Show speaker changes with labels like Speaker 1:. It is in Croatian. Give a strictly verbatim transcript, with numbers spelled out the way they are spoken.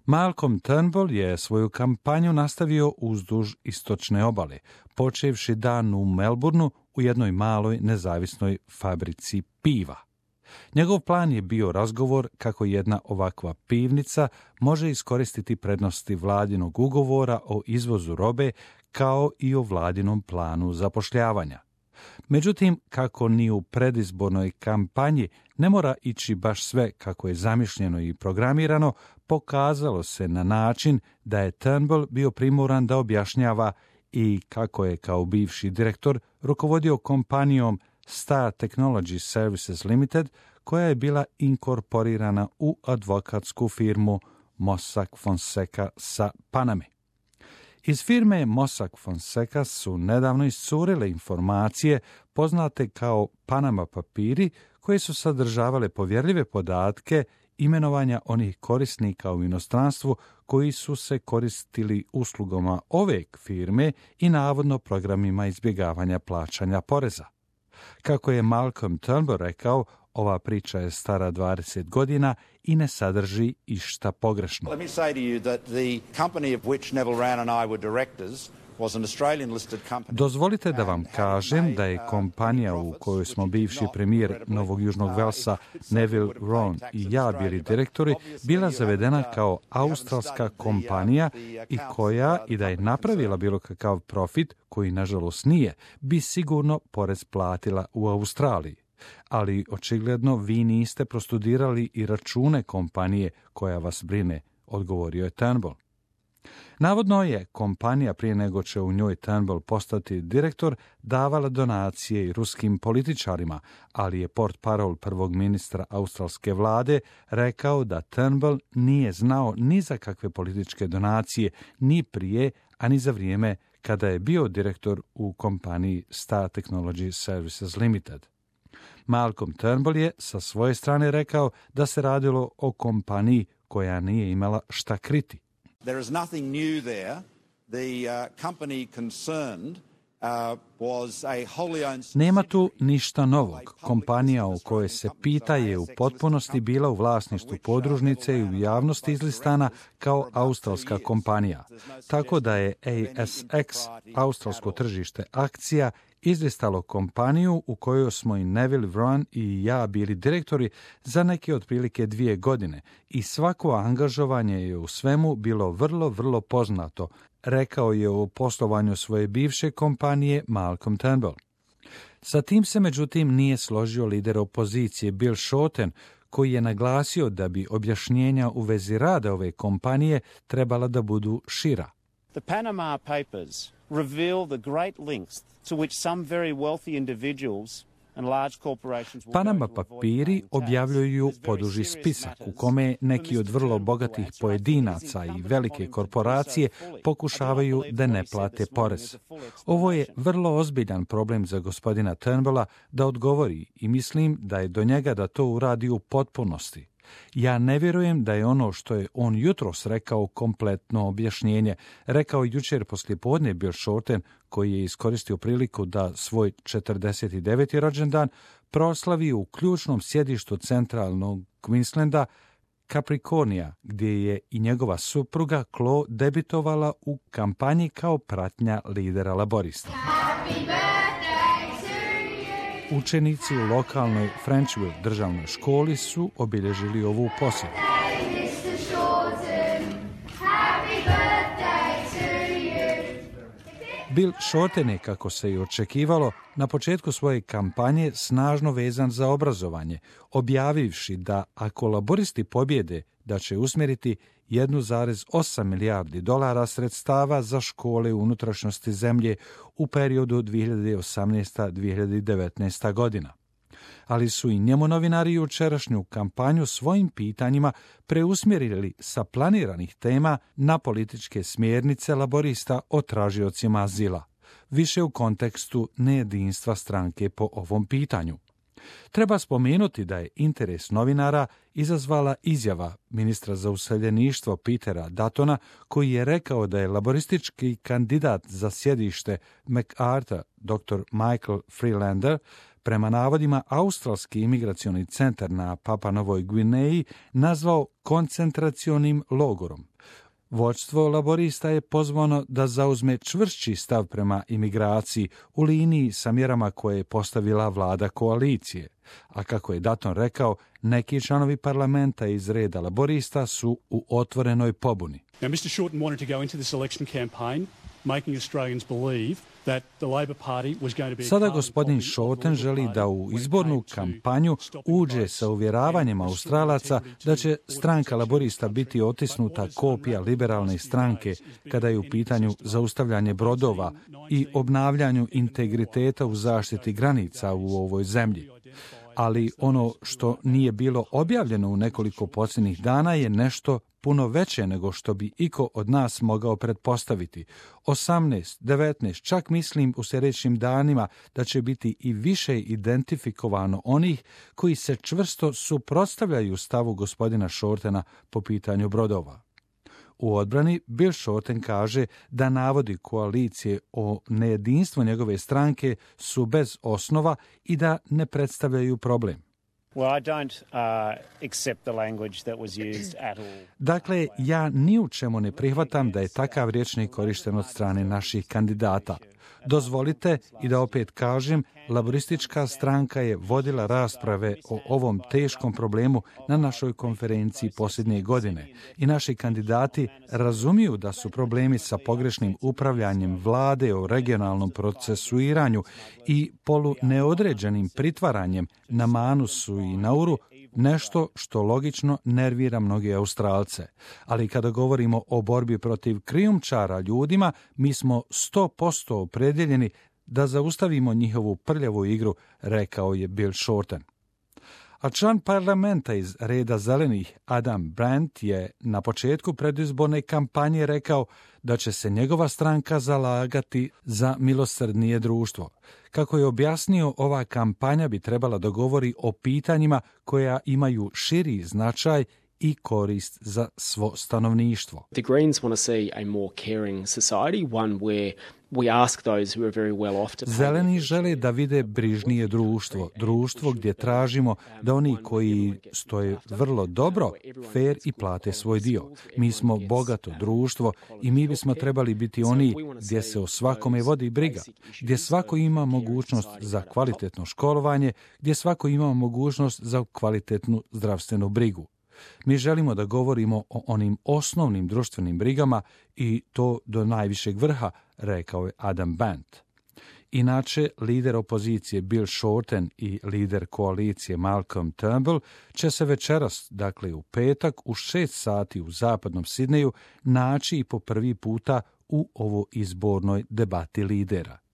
Speaker 1: Malcolm Turnbull je svoju kampanju nastavio uzduž istočne obale, počevši dan u Melbourneu u jednoj maloj nezavisnoj fabrici piva. Njegov plan je bio razgovor kako jedna ovakva pivnica može iskoristiti prednosti vladinog ugovora o izvozu robe kao i o vladinom planu zapošljavanja. Međutim, kako ni u predizbornoj kampanji ne mora ići baš sve kako je zamišljeno i programirano, pokazalo se na način da je Turnbull bio primoran da objašnjava i kako je kao bivši direktor rukovodio kompanijom Star Technology Services Limited, koja je bila inkorporirana u advokatsku firmu Mossack Fonseca sa Paname. Iz firme Mossack Fonseca su nedavno iscurile informacije poznate kao Panama papiri, koje su sadržavale povjerljive podatke imenovanja onih korisnika u inostranstvu koji su se koristili uslugama ove firme i navodno programima izbjegavanja plaćanja poreza. Kako je Malcolm Turnbull rekao, ova priča je stara dvadeset godina i ne sadrži išta pogrešno.
Speaker 2: Let me say to you that the company of which Neville Wran and I were directors was an Australian listed company.
Speaker 1: Dozvolite da vam kažem da je kompanija u kojoj smo bivši premijer Novog Južnog Velsa Neville Wran i ja bili direktori bila zavedena kao australska kompanija i koja, i da je napravila bilo kakav profit, koji nažalost nije, bi sigurno porez platila u Australiji. Ali očigledno vi niste prostudirali i račune kompanije koja vas brine, odgovorio je Turnbull. Navodno je kompanija, prije nego će u njoj Turnbull postati direktor, davala donacije i ruskim političarima, ali je portparol prvog ministra australske vlade rekao da Turnbull nije znao ni za kakve političke donacije, ni prije, a ni za vrijeme kada je bio direktor u kompaniji Star Technology Services Limited. Malcolm Turnbull je sa svoje strane rekao da se radilo o kompaniji koja nije imala šta kriti.
Speaker 2: There is nothing new there. The uh, company concerned uh, was a wholly owned...
Speaker 1: Nema tu ništa novog. Kompanija o kojoj se pita je u potpunosti bila u vlasništvu podružnice i u javnosti izlistana kao australska kompanija. Tako da je A S X, australsko tržište akcija, izlistalo kompaniju u kojoj smo i Neville Wran i ja bili direktori za neke otprilike dvije godine i svako angažovanje je u svemu bilo vrlo, vrlo poznato, rekao je o poslovanju svoje bivše kompanije Malcolm Turnbull. Sa tim se međutim nije složio lider opozicije Bill Shorten, koji je naglasio da bi objašnjenja u vezi rada ove kompanije trebala da budu šira.
Speaker 3: The Panama Papers reveal the great links to which some very wealthy individuals and large corporations will
Speaker 1: Panama
Speaker 3: go to avoid
Speaker 1: papiri
Speaker 3: paying tax.
Speaker 1: objavljuju
Speaker 3: It is very
Speaker 1: poduži
Speaker 3: serious
Speaker 1: spisak u
Speaker 3: matters
Speaker 1: kome
Speaker 3: for
Speaker 1: neki od
Speaker 3: mister
Speaker 1: vrlo
Speaker 3: Turnbull
Speaker 1: bogatih
Speaker 3: to
Speaker 1: pojedinaca
Speaker 3: actually
Speaker 1: i
Speaker 3: think
Speaker 1: velike
Speaker 3: it's
Speaker 1: korporacije
Speaker 3: incumbent upon him to do so fully.
Speaker 1: pokušavaju
Speaker 3: I do not
Speaker 1: da
Speaker 3: believe
Speaker 1: ne
Speaker 3: what he said
Speaker 1: plate
Speaker 3: this morning
Speaker 1: porez.
Speaker 3: is a full
Speaker 1: Ovo je
Speaker 3: explanation.
Speaker 1: vrlo ozbiljan problem za gospodina Turnbulla da odgovori i mislim da je do njega da to uradi u potpunosti. Ja ne vjerujem da je ono što je on jutros rekao kompletno objašnjenje, rekao jučer poslijepodne Bill Shorten, koji je iskoristio priliku da svoj četrdeset deveti rođendan proslavi u ključnom sjedištu centralnog Queenslanda, Capricornia, gdje je i njegova supruga Chloe debitovala u kampanji kao pratnja lidera laborista. Učenici u lokalnoj Frenchville državnoj školi su obilježili ovu posjetu. Bill Shorten je, kako se i očekivalo, na početku svoje kampanje snažno vezan za obrazovanje, objavivši da ako laboristi pobjede, da će usmjeriti jedan zarez osam milijardi dolara sredstava za škole u unutrašnjosti zemlje u periodu dvije hiljade osamnaesta do dvije hiljade devetnaesta godina. Ali su i njemu novinari jučerašnju kampanju svojim pitanjima preusmjerili sa planiranih tema na političke smjernice laborista o tražiocima azila, više u kontekstu nejedinstva stranke po ovom pitanju. Treba spomenuti da je interes novinara izazvala izjava ministra za useljeništvo Petera Duttona, koji je rekao da je laboristički kandidat za sjedište MacArthur, dr. Michael Freelander, prema navodima australski imigracioni centar na Papua Novoj Gvineji nazvao koncentracionim logorom. Vođstvo laborista je pozvano da zauzme čvršći stav prema imigraciji u liniji sa mjerama koje je postavila vlada koalicije. A kako je Dutton rekao, neki članovi parlamenta iz reda laborista su u otvorenoj pobuni.
Speaker 4: Now, mister Shorten wanted to go into this election campaign making Australians believe that the Labor Party was going to be...
Speaker 1: Sada gospodin Shorten želi da u izbornu kampanju uđe sa uvjeravanjem Australaca da će stranka laborista biti otisnuta kopija liberalne stranke kada je u pitanju zaustavljanje brodova i obnavljanju integriteta u zaštiti granica u ovoj zemlji. Ali ono što nije bilo objavljeno u nekoliko posljednjih dana je nešto puno veće nego što bi iko od nas mogao pretpostaviti. osamnaest, devetnaest, čak mislim u sljedećim danima da će biti i više identifikovano onih koji se čvrsto suprotstavljaju stavu gospodina Shortena po pitanju brodova. U odbrani Bill Shorten kaže da navodi koalicije o nejedinstvu njegove stranke su bez osnova i da ne predstavljaju problem.
Speaker 3: Well, I don't uh, accept the language that was used at all.
Speaker 1: Dakle, ja ni u čemu ne prihvatam da je takav rječnik korišten od strane naših kandidata. Dozvolite i da opet kažem, laboristička stranka je vodila rasprave o ovom teškom problemu na našoj konferenciji posljednje godine i naši kandidati razumiju da su problemi sa pogrešnim upravljanjem vlade o regionalnom procesuiranju i polu neodređenim pritvaranjem na Manusu i Nauru nešto što logično nervira mnoge Australce. Ali kada govorimo o borbi protiv krijumčara ljudima, mi smo sto posto opredjeljeni da zaustavimo njihovu prljavu igru, rekao je Bill Shorten. A član parlamenta iz reda zelenih Adam Brandt je na početku predizborne kampanje rekao da će se njegova stranka zalagati za milosrdnije društvo. Kako je objasnio, ova kampanja bi trebala da govori o pitanjima koja imaju širi značaj i korist za svo stanovništvo.
Speaker 5: The Greens want to see a more caring society, one where we ask those who are very well off to pay.
Speaker 1: Zeleni žele da vide brižnije društvo, društvo gdje tražimo da oni koji stoje vrlo dobro, fair i plate svoj dio. Mi smo bogato društvo i mi bismo trebali biti oni gdje se o svakome vodi briga, gdje svako ima mogućnost za kvalitetno školovanje, gdje svako ima mogućnost za kvalitetnu zdravstvenu brigu. Mi želimo da govorimo o onim osnovnim društvenim brigama i to do najvišeg vrha, rekao je Adam Brandt. Inače, lider opozicije Bill Shorten i lider koalicije Malcolm Turnbull će se večeras, dakle u petak, u šest sati u zapadnom Sidneju naći i po prvi puta u ovo izbornoj debati lidera.